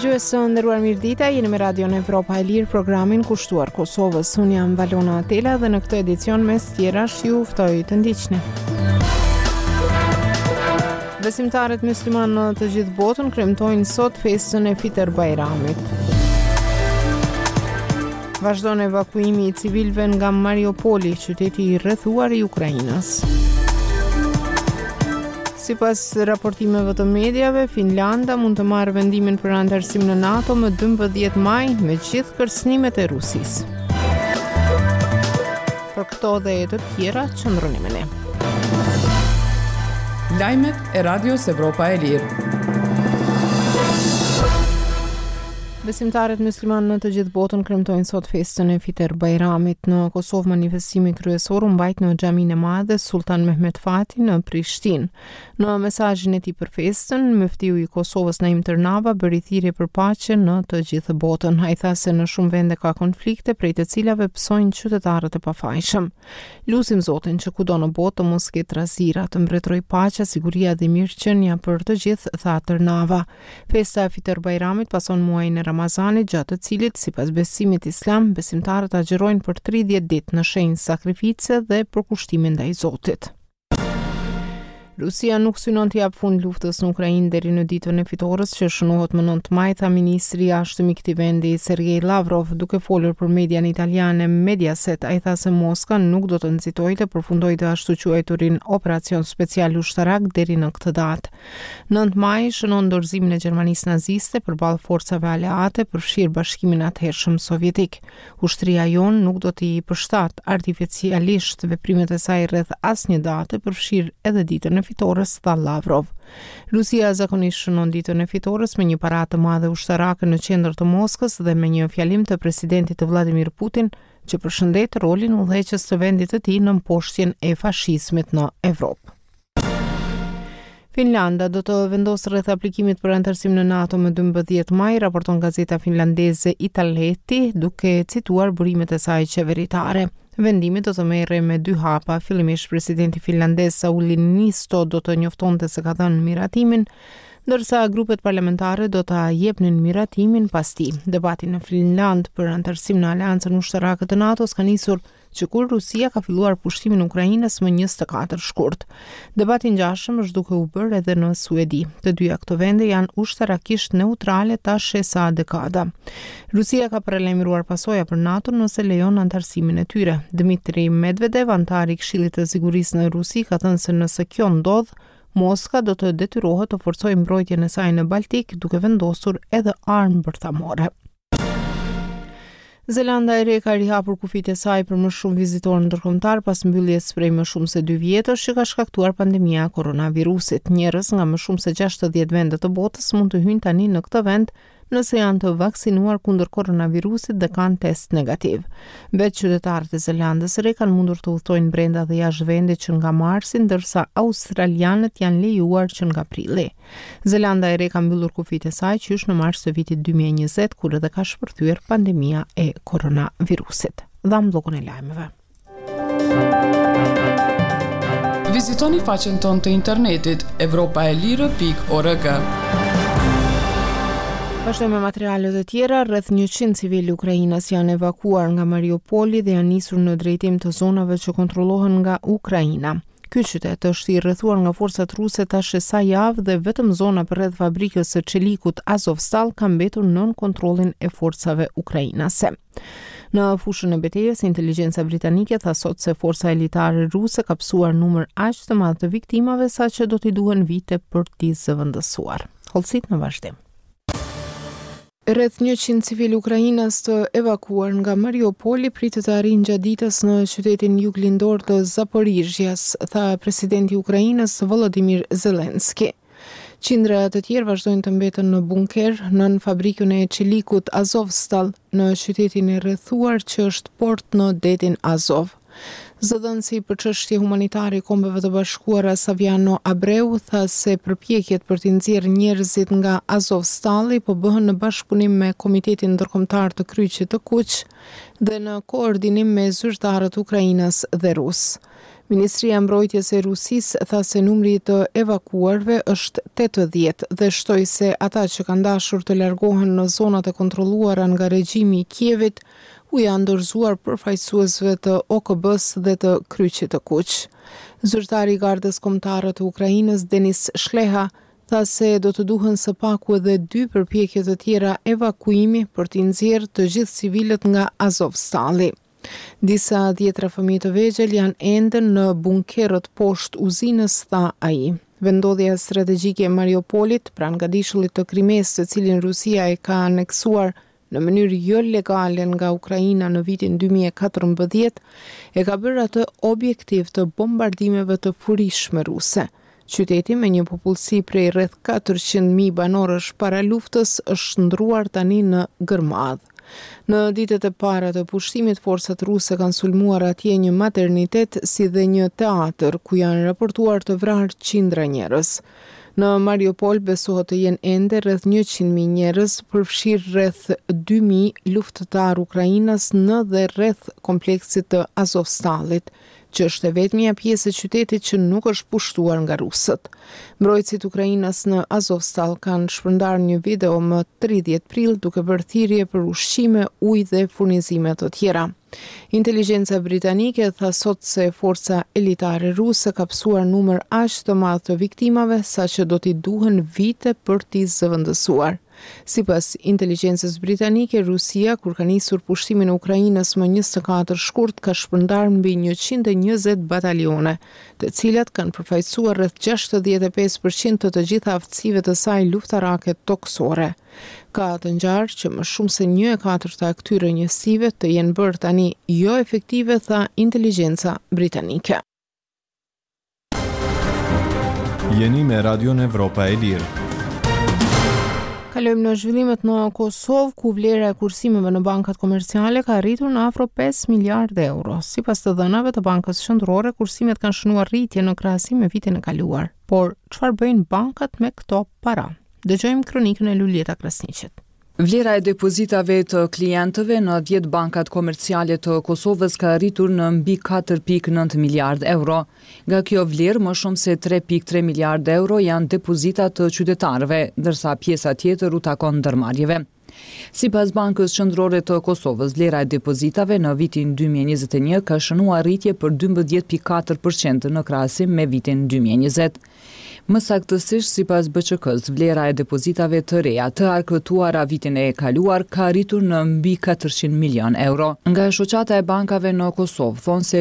Dëgjues të nderuar mirëdita, jeni me Radion Evropa e Lirë, programin kushtuar Kosovës. Unë jam Valona Atela dhe në këtë edicion mes tjerash ju ftoj të ndiqni. Besimtarët myslimanë në të gjithë botën kremtojnë sot festën e Fiter Bajramit. Vazhdon evakuimi i civilëve nga Mariupoli, qyteti i rrethuar i Ukrainës. Sipas raportimeve të mediave, Finlanda mund të marrë vendimin për anëtarësim në NATO më 12 maj, me gjithë kërcënimet e Rusisë. Për këto dhe të tjera, qëndroni me ne. Lajmet e Radios Evropa e Lirë. Besimtarët myslimanë në të gjithë botën kremtojnë sot festën e Fiter Bajramit. Në Kosovë manifestimi kryesor u mbajt në Xhaminë e Madhe Sulltan Mehmet Fatih në Prishtinë. Në mesazhin e tij për festën, myftiu i Kosovës Naim Tërnava bëri thirrje për paqe në të gjithë botën. Ai tha se në shumë vende ka konflikte prej të cilave pësojnë qytetarët e pafajshëm. Lusim Zotin që kudo në botë të mos ketë trazira, të mbretërojë paqja, siguria dhe mirëqenia për të gjithë, tha Tërnava. Festa e Fitër Bajramit pason muajin e Ramazanit, gjatë të cilit, sipas besimit islam, besimtarët agjërojnë për 30 ditë në shenjë sakrifice dhe përkushtimi ndaj Zotit. Rusia nuk synon t'i japë fund luftës në Ukrainë deri në ditën e fitores që shënohet më 9 maj, tha ministri i jashtëm i këtij vendi Sergej Lavrov, duke folur për median italiane Mediaset. Ai tha se Moska nuk do të nxitojë të përfundojë të ashtuquajturin operacion special ushtarak deri në këtë datë. 9 maji shënon dorëzimin e Gjermanisë naziste përballë forcave aleate, përfshirë Bashkimin e atëhershëm Sovjetik. Ushtria jonë nuk do t'i përshtatë artificialisht veprimet e saj rreth asnjë date, përfshirë edhe ditën e fitores, tha Lavrov. Rusia zakonisht shënon ditën e fitores me një paradë të madhe ushtarake në qendër të Moskës dhe me një fjalim të presidentit të Vladimir Putin që përshëndet rolin udhëheqës të vendit të tij në mposhtjen e fashizmit në Evropë. Finlanda do të vendosë rreth aplikimit për anëtarësim në NATO më 12 maj, raporton gazeta finlandeze Iltalehti, duke cituar burimet e saj qeveritare. Vendimi do të merrej me dy hapa. Fillimisht presidenti finlandez Sauli Niinisto do të njoftonte se ka dhënë miratimin, ndërsa grupet parlamentare do ta jepnin miratimin pas tij. Debati në Finlandë për anëtarësim në aleancën ushtarake të NATO-s ka nisur që kur Rusia ka filluar pushtimin e Ukrainës më 24 shkurt. Debat i ngjashëm është duke u bërë edhe në Suedi. Të dyja këto vende janë ushtarakisht neutrale tash e sa dekada. Rusia ka paralajmëruar pasoja për NATO nëse lejon anëtarësimin e tyre. Dmitri Medvedev, anëtar i Këshillit të Sigurisë në Rusi, ka thënë se nëse kjo ndodh, Moska do të detyrohet të forcojë mbrojtjen e saj në Baltik, duke vendosur edhe armë bërthamore. Zelanda e Re ka rihapur kufijtë e saj për më shumë vizitorë ndërkombëtarë pas mbylljes prej më shumë se dy vjetësh që ka shkaktuar pandemia e koronavirusit. Njerëz nga më shumë se 60 vende të botës mund të hyjnë tani në këtë vend nëse janë të vaksinuar kundër koronavirusit dhe kanë test negativ. Vetë qytetarët e Zelandës së Re kanë mundur të udhëtojnë brenda dhe jashtë vendit që nga marsi, ndërsa australianët janë lejuar që nga prilli. Zelanda e Re ka mbyllur kufijtë e saj qysh në mars të vitit 2020, kur edhe ka shpërthyer pandemia e koronavirusit. Dhamë bllokun e lajmeve. Vizitoni faqen tonë të internetit evropaelire.org. Vazhdojmë me materiale të tjera, rreth 100 civilë ukrainas janë evakuuar nga Mariupoli dhe janë nisur në drejtim të zonave që kontrollohen nga Ukraina. Ky qytet është i rrethuar nga forcat ruse tash e sa javë dhe vetëm zona përreth fabrikës së çelikut Azovstal ka mbetur nën kontrollin e forcave ukrainase. Në fushën e betejës, inteligjenca britanike tha sot se forca elitare ruse ka pësuar numër aq të madh të viktimave sa që do t'i duhen vite për t'i zëvendësuar. Hollësitë në vazhdim. Rreth 100 civilë ukrainas të evakuuar nga Mariupoli pritet të arrijnë gjatë ditës në qytetin juglindor të Zaporizhjas, tha presidenti i Ukrainës Volodymyr Zelensky. Qindra të tjerë vazhdojnë të mbeten në bunker nën fabrikën e çelikut Azovstal në qytetin e rrethuar që është port në detin Azov. Zëdhënësi për çështje humanitare i Kombeve të Bashkuara Saviano Abreu tha se përpjekjet për t'i nxjerrë njerëzit nga Azovstalli po bëhen në bashkëpunim me Komitetin Ndërkombëtar të Kryqit të Kuq dhe në koordinim me zyrtarët ukrainas dhe rusë. Ministria e Mbrojtjes e Rusisë tha se numri i të evakuuarve është 80 dhe shtoi se ata që kanë dashur të largohen në zonat e kontrolluara nga regjimi i Kievit u janë dorëzuar përfaqësuesve të OKB-së dhe të Kryqit të Kuq. Zyrtari i Gardës Kombëtare të Ukrainës, Denis Shleha, tha se do të duhen së paku edhe dy përpjekje të tjera evakuimi për t'i nxjerrë të gjithë civilët nga Azovstalli. Disa dhjetra fëmijë të vegjël janë ende në bunkerët poshtë uzinës, tha ai. Vendndodhja strategjike e Mariupolit, pranë gadishullit të Krimesë, të cilin Rusia e ka aneksuar në mënyrë jo legale nga Ukraina në vitin 2014, e ka bërë atë objektiv të bombardimeve të furishme ruse. Qyteti me një popullsi prej rreth 400.000 banorësh para luftës është shndërruar tani në gërmadhë. Në ditët e para të pushtimit, forcat ruse kanë sulmuar atje një maternitet si dhe një teatër, ku janë raportuar të vrarë qindra njerëz. Në Mariupol besohet të jenë ende rreth 100.000 njerëz, përfshirë rreth 2.000 luftëtarë ukrainas në dhe rreth kompleksit të Azovstallit, që është e vetmja pjesë e qytetit që nuk është pushtuar nga rusët. Mbrojtësit ukrainas në Azovstal kanë shpërndarë një video më 30 prill duke bërë thirrje për ushqime, ujë dhe furnizime të tjera. Inteligjenca britanike tha sot se forca elitare ruse ka pësuar numër aq të madh të viktimave sa që do t'i duhen vite për t'i zëvendësuar. Sipas inteligjencës britanike, Rusia, kur ka nisur pushtimin e Ukrainës më 24 shkurt, ka shpërndarë mbi 120 batalione, të cilat kanë përfaqësuar rreth 65% të të gjitha aftësive të saj luftarake tokësore. Ka të ngjarë që më shumë se një e katërta e këtyre njësive të jenë bërë tani joefektive, tha inteligjenca britanike. Jeni me Radion Evropa e Lirë. Kalojmë në zhvillimet në Kosovë, ku vlera e kursimeve në bankat komerciale ka arritur në afro 5 miliardë euro. Sipas të dhënave të Bankës Qendrore, kursimet kanë shënuar rritje në krahasim me vitin e kaluar. Por, çfarë bëjnë bankat me këto para? Dëgjojmë kronikën e Luljeta Krasniqit. Vlera e depozitave të klientëve në 10 bankat komerciale të Kosovës ka arritur në mbi 4.9 miliardë euro. Nga kjo vlerë, më shumë se 3.3 miliardë euro janë depozita të qytetarëve, ndërsa pjesa tjetër u takon ndërmarrjeve. Sipas Bankës Qendrore të Kosovës, vlera e depozitave në vitin 2021 ka shënuar rritje për 12.4% në krahasim me vitin 2020. Më saktësisht, sipas BQK-së, vlera e depozitave të reja të arkëtuara vitin e kaluar ka arritur në mbi 400 milion euro. Nga Shoqata e Bankave në Kosovë thonë se.